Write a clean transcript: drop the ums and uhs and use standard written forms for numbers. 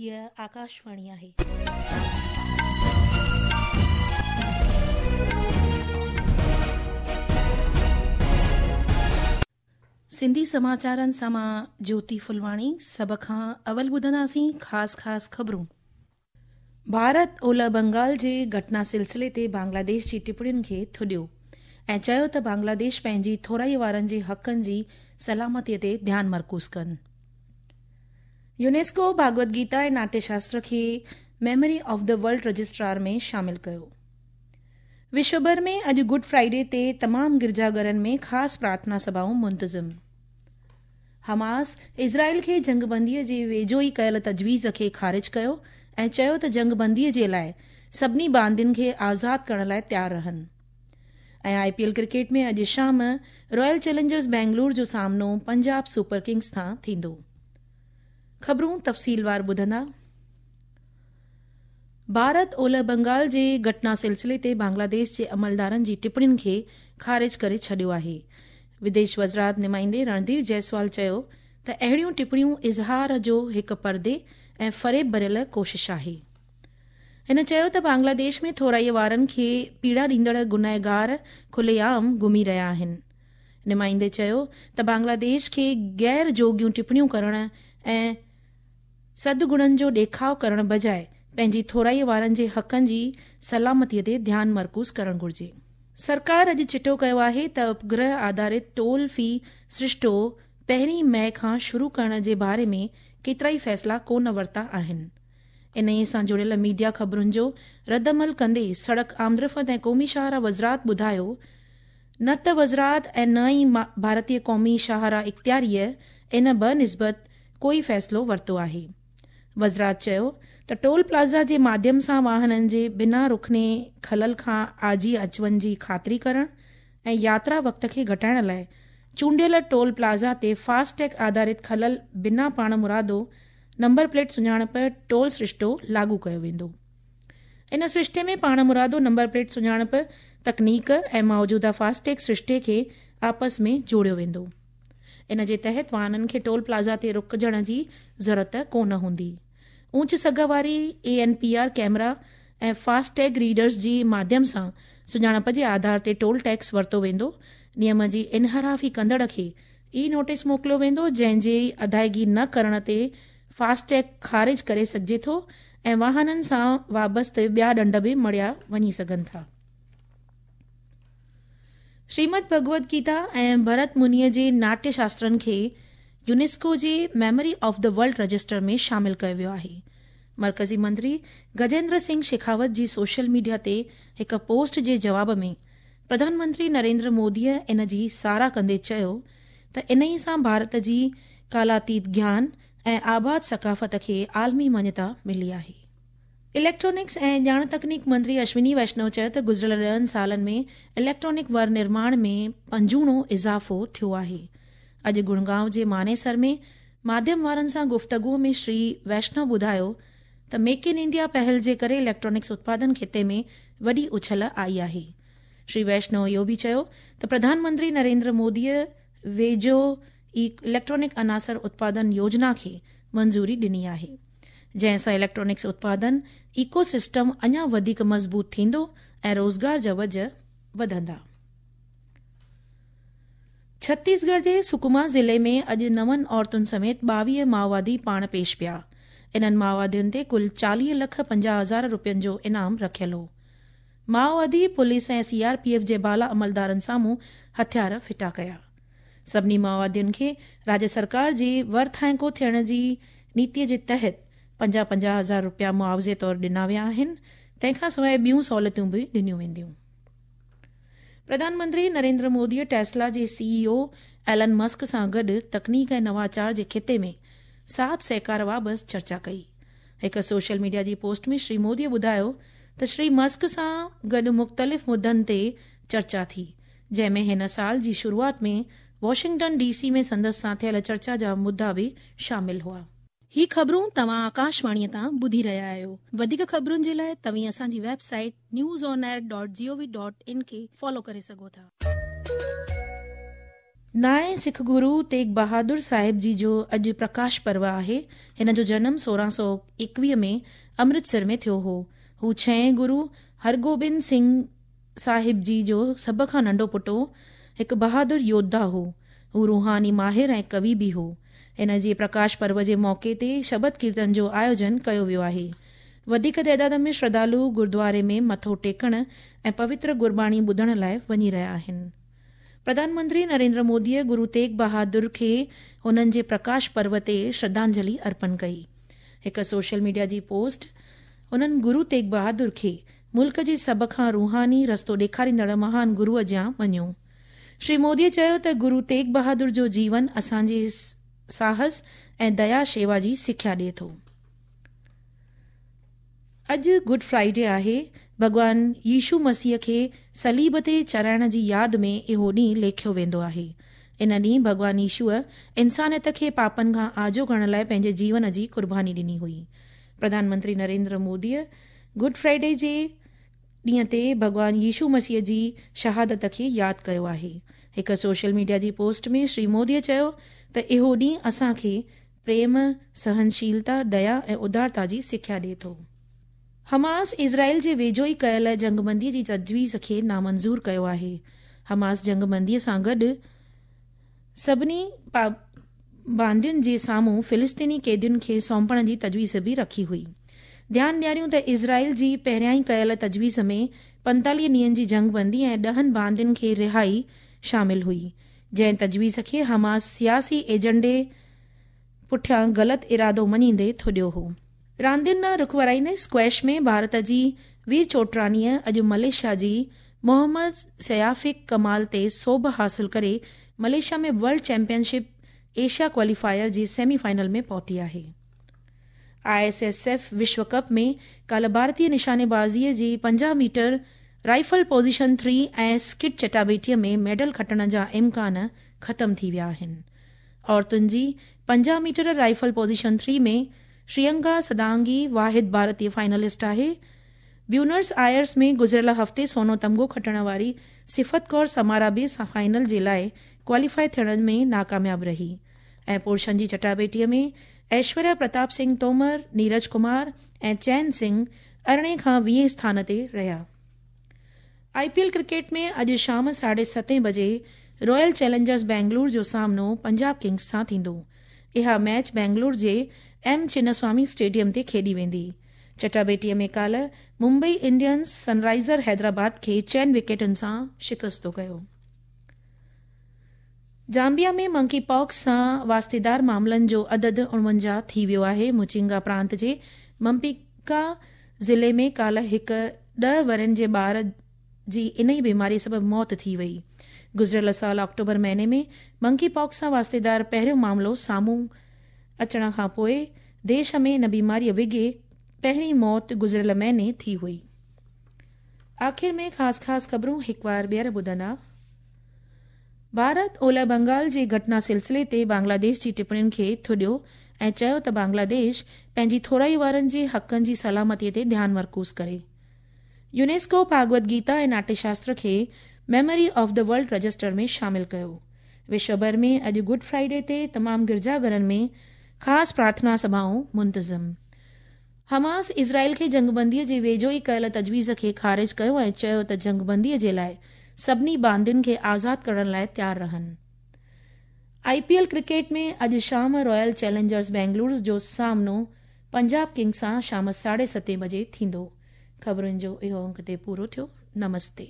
هيء آڪاشواڻي آهي. سنڌي سماچارن سان مان جوتي ڦلواڻي سڀ کان اول ٻڌنداسين خاص خاص خبرون. ڀارت اولهه بنگال جي گهٽنا سلسلي تي بنگلاديش جي ٽپڻين کي ٿڏيو ۽ چيو ته بنگلاديش پنهنجي ٿورائي وارن جي حقن جي سلامتي تي ڌيان مرڪوز ڪن. يونيسڪو ڀاڳوت گيتا ۽ ناٽيه شاستر کي memory of the world registrar ۾ شامل ڪيو. وشو ڀر ۾ اڄ گڊ فرائيڊي تي تمام گرجا گهرن ۾ خاص پرارٿنا سڀائون منتظم. حماس اسرائيل کي جنگبندي جي ويجهو ئي ڪيل تجويز کي خارج ڪيو ۽ چيو ته جنگبندي جي لاءِ سڀني باندين کي آزاد ڪرڻ لاءِ تيار رهن. ۽ آءِ پي ايل ڪرڪيٽ ۾ اڄ شام رائل چئلينجرز بينگلور جو سامنو پنجاب سپر ڪنگز سان ٿيندو. خبرون تفصيلوار ٻڌندا. ڀارت اولهه بنگال جي گهٽنا سلسلي تي بنگلاديش جي عملدارن جي ٽپڻين کي خارج ڪري ڇڏيو آهي. وديش وزارت نمائندي رڻڌير جئسوال چيو ته اهڙيون ٽپڻيون اظهار جو هڪ پردي ۽ فريب ڀريل ڪوشش آهي. هن چيو ته بنگلاديش ۾ ٿورائي وارن کي پيڙا ڏيندڙ گنهگار کلي عام گهمي رهيا آهن. نمائندي چيو ته بنگلاديش کي غير جوڳيون ٽپڻيون ڪرڻ ۽ سدگڻن جو ڏيکاءُ ڪرڻ بجاءِ پنهنجي ٿورائي وارن جي حقن جي سلامتي تي ڌيان مرڪوز ڪرڻ گهرجي. سرڪار اڄ چٽو ڪيو آهي ته اپگرهه آڌارت ٽول في سرشتو پهرين مئي کان شروع ڪرڻ جي باري ۾ ڪيترائي فيصلا ڪونه ورتا آهن. انهيءَ سان جڙيل ميڊيا خبرن جو رد عمل ڪندي سڙڪ آمدرفت ۽ قومي شاهراهه وزارت ٻڌايو نه ته وزارت ۽ نه ئي ڀارتيه قومي شاهراهه اختياريءَ ان بنسبت ڪوئي فيصلو ورتو آهي. وزارت چيو ته ٽول پلازا جي ماڌيم سان واهنن جي بنا رڪني خلل کان آجي اچ وڃ جي خاطري ڪرڻ ۽ ياترا وقت کي گهٽائڻ لاءِ چونڊيل ٽول پلازا تي فاسٽ ٽيگ آڌارت خلل بنا پاڻمرادو نمبر پليٽ سڃاڻپ ٽول سرشتو لاڳو ڪيو ويندو. ان سرشتي ۾ پاڻمرادو نمبر پليٽ سڃاڻپ تڪنيڪ ۽ موجوده فاسٽ ٽيگ سرشتي کي آپس ۾ جوڙيو ويندو. ان جي تحت واهنن کي ٽول پلازا تي رڪجڻ جي ضرورت ڪونه هوندي. اونچ سگهه واري اي N P R camera ۽ fast tag readers جي ماڌيم سان سڃاڻپ جي آڌار تي ٽول ٽيڪس ورتو ويندو. نيم جي انحرافي ڪندڙ کي اي نوٽيس موڪليو ويندو، جنهن جي ادائگي نه ڪرڻ تي فاسٽ ٽيگ خارج ڪري سگهجي ٿو ۽ واهنن سان وابسته ٻيا ڏنڊ به مڙهيا وڃي سگهن ٿا. شريمد ڀڳوت گيتا ۽ ڀرت منيءَ جي ناٽيه شاسترن کي يونيسڪو جي memory of the world register ۾ شامل ڪيو ويو آهي. مرڪزي منتري گجيندر سنگهه شيخاوت جي سوشل ميڊيا تي هڪ پوسٽ جي جواب ۾ پرڌان منتري نريندر موديءَ ان جي ساراهه ڪندي چيو ته انهيءَ سان ڀارت جي ڪالاتيت گيان ۽ آباد ثقافت کي عالمي مڃتا ملي آهي. اليڪٽرانڪس ۽ ڄاڻ تڪنيڪ منتري اشوني ويشنو چيو ته گذريل 10 سالن ۾ اليڪٽرانڪ ور نرماڻ ۾ پنجوڻو اضافو ٿيو آهي. اڄ گڙگائون جي مانيسر ۾ ماڌيم وارن سان گفتگو ۾ شري ويشنو ٻڌايو ته ميڪ ان انڊيا پهل جي ڪري اليڪٽرانڪس اتپادن خطي ۾ وڏي اڇل آئي آهي. شري ويشنو اهو به چيو ته پرڌان منتري نريندر موديءَ ويجهو ئي اليڪٽرانڪ عناصر اتپادن يوجنا کي منظوري ڏني آهي، جنهن سان اليڪٽرانڪس اتپادن ايڪو سسٽم اڃا وڌيڪ مضبوط ٿيندو ۽ روزگار جا وجهه وڌندا. ڇتيسڳڙهه جي سڪما ضلعي ۾ اڄ 9 عورتن سميت 22 مائووادي پاڻ پيش پيا. انهن مائووادين تي ڪل 40,50,000 روپين جو انعام رکيل هو. مائووادي police ۽ C R P F جي بالا عملدارن سامهون هٿيار ڦٽا ڪيا. سڀني مائووادين کي راجيه سرڪار جي ورٿائڪو ٿيڻ جي نيتيءَ جي تحت 50-50 هزار روپيا معاوضي طور ڏنا ويا آهن، تنهن کان سواءِ ٻيون سهولتون به ڏنيون وينديون. پرڌان منتري نريندر موديءَ ٽيسلا جي سي اي او ايلن مسڪ سان گڏ تڪنيڪ ۽ نواچار جي خطي ۾ ساٿ سهڪار بابت چرچا ڪئي. هڪ سوشل ميڊيا جي پوسٽ ۾ شري موديءَ ٻڌايو ته شري مسڪ سان گڏ مختلف مدعن تي چرچا ٿي، جنهن ۾ هن سال جي شروعات ۾ واشنگٽن ڊي سي ۾ سندس سان ٿيل چرچا جا مدعا به شامل هئا. هي خبرون توهان آڪاشواڻيءَ تان ٻڌي رهيا آهيو. وڌيڪ خبرن جي لاءِ توهين اسان جي web site news on air dot G O V dot in کي فالو ڪري سگهو ٿا. نائين سک گرو تيغ بهادر صاحب جي جو اڄ پرڪاش پرو آهي. هن جو جنم 1621 ۾ امرتسر ۾ ٿيو هو. هو ڇهين گرو هرگوبند سنگهه صاحب جي جو سڀ کان ننڍو پٽ هو. هڪ بهادر يوڌا هو. هو روحاني ماهر ۽ ڪوي به هو. هن جي پرڪاش پرو جي موقعي تي شبد ڪيرتن جو آيوجن ڪيو ويو آهي. وڌيڪ تعداد ۾ شرڌالو گردواري ۾ مٿو ٽيڪڻ ۽ پوتر گرباڻي ٻڌڻ لاءِ وڃي رهيا آهن. پرڌان منتري نريندر موديءَ گرو تيغ بهادر کي هنن جي پرڪاش پرو تي شرڌانجلي ارپڻ ڪئي. هڪ سوشل ميڊيا جي پوسٽ هنن گرو تيغ بهادر کي ملڪ جي سڀ کان روحاني رستو ڏيکاريندڙ مهان گروءَ جيان مڃيو. شري موديءَ چيو ته گرو تيغ بهادر جو جيون اسان جي ساهس ۽ ديا شيوا جي سکيا ڏئي ٿو. اڄ گڊ فرائيڊي آهي. ڀڳوان يشو مسيح کي صليب تي چڙهائڻ جي ياد ۾ اهو ڏينهن ليکيو ويندو آهي. ان ڏينهن ڀڳوان يشوءَ انسانيت کي پاپن کان آجو ڪرڻ لاءِ پنهنجي جيون جي قرباني ڏني هئي. پرڌان منتري نريندر موديءَ گڊ فرائيڊي جي ڏينهن تي ڀڳوان يشو مسيح جي شهادت کي ياد ڪيو آهي. هڪ سوشل ميڊيا جي پوسٽ ۾ شري موديءَ چيو ته اهو ڏينهن اسان کي پريم، سهنشيلتا، ديا ۽ ادارتا جي سکيا ڏئي ٿو. حماس اسرائيل جي ويجهو ئي ڪيل جنگبندي جي تجويز کي نامنظور ڪيو آهي. حماس جنگبندي سان گڏ سڀني پابندين جي سامهون فلسطيني قيدين کي سونپڻ جي تجويز به رکي هئي. ڌيان ڏياريون ته اسرائيل جي پهريائين ڪيل تجويز ۾ 45 ڏينهن جي جنگبندي ۽ 10 باندين کي رهائي شامل هئي، جنهن تجويز کي حماس سياسي ايجنڊي پٺيان غلط ارادو مڃيندي ٿڏيو هو. راندين ڏانهن رخ ورائيندي اسڪواش ۾ ڀارت جي وير چوٽراڻيءَ اڄ ملائيشيا جي محمد سيافڪ ڪمال تي سوڀ حاصل ڪري Malaysia ۾ world championship Asia qualifier جي سيمي فائنل ۾ پهتي آهي. I S S F وشو ڪپ ۾ ڪالهه ڀارتيه نشانيبازيءَ جي 50 ميٽر رائفل پوزيشن 3 ۽ اسڪٽ چٽاڀيٽيءَ ۾ ميڊل کٽڻ جا امڪان ختم ٿي ويا آهن. عورتن جي 50 ميٽر رائفل پوزيشن 3 ۾ شرينڪا سدانگي واحد ڀارتيه فائنلسٽ آهي. بيونرس آئرس ۾ گذريل هفتي سونو تمغو کٽڻ واري صفت ڪور سمارا به فائنل جي لاءِ ڪواليفائي ٿيڻ ۾ ناڪامياب رهي ۽ پرشن جي چٽاڀيٽيءَ ۾ ايشوريا پرتاپ سنگهه تومر، نيرج ڪمار ۽ چين سنگهه 18 کان 20 اسٿان تي رهيا. I P L cricket ۾ اڄ شام 7:30 بجي رائل چئلينجرز بينگلور جو سامنو پنجاب ڪنگز سان ٿيندو. اها ميچ بينگلور جي ايم چناسوامي اسٽيڊيم تي کيڏي ويندي. چٽاڀيٽيءَ ۾ ڪالهه ممبئي انڊينز سن رائزر حيدرآباد کي 4 وڪيٽن سان شڪست ڪيو. زامبيا ۾ منڪي پاڪس سان واسطيدار معاملن جو عدد 49 ٿي ويو آهي. مچنگا پرانت جي ممپيڪا ضلعي ۾ ڪالهه هڪ 10 ورهين جي ٻار جي انهي بيماري سبب موت ٿي وئي. گذريل سال آڪٽوبر مهيني ۾ منڪي پاڪس سان واسطيدار پهريون معاملو سامهون اچڻ کان پوءِ ديش ۾ ان بيماريءَ وگهي پهرين موت گذريل مهيني ٿي هئي. آخر ۾ خاص خاص خبرون هڪ بار ٻيهر ٻڌندا. ڀارت اولهه بنگال جي گهٽنا سلسلي تي بنگلاديش جي ٽپڻين کي ٿڏيو ۽ چيو ته بنگلاديش پنهنجي ٿورائي وارن جي حقن جي سلامتي تي ڌيان مرڪوز ڪري. يونيسڪو ڀاڳوت گيتا ۽ ناٽيه شاستر کي memory of the world register ۾ شامل ڪيو. وشو ڀر ۾ اڄ گڊ فرائيڊي تي تمام گرجا گهرن ۾ خاص پرارٿنا سڀائون منتظم. حماس اسرائيل کي جنگبنديءَ جي ويجهو ئي ڪيل تجويز کي خارج ڪيو ۽ چيو ته جنگبنديءَ جي لاءِ سڀني باندين کي آزاد ڪرڻ لاءِ تيار رهن. I P L cricket ۾ اڄ شام رائل چئلينجرز بينگلور جو سامنو پنجاب ڪنگز سان شام 7:30 بجي ٿيندو. خبرن جو اهو انڪ تي پورو ٿيو. نمستي.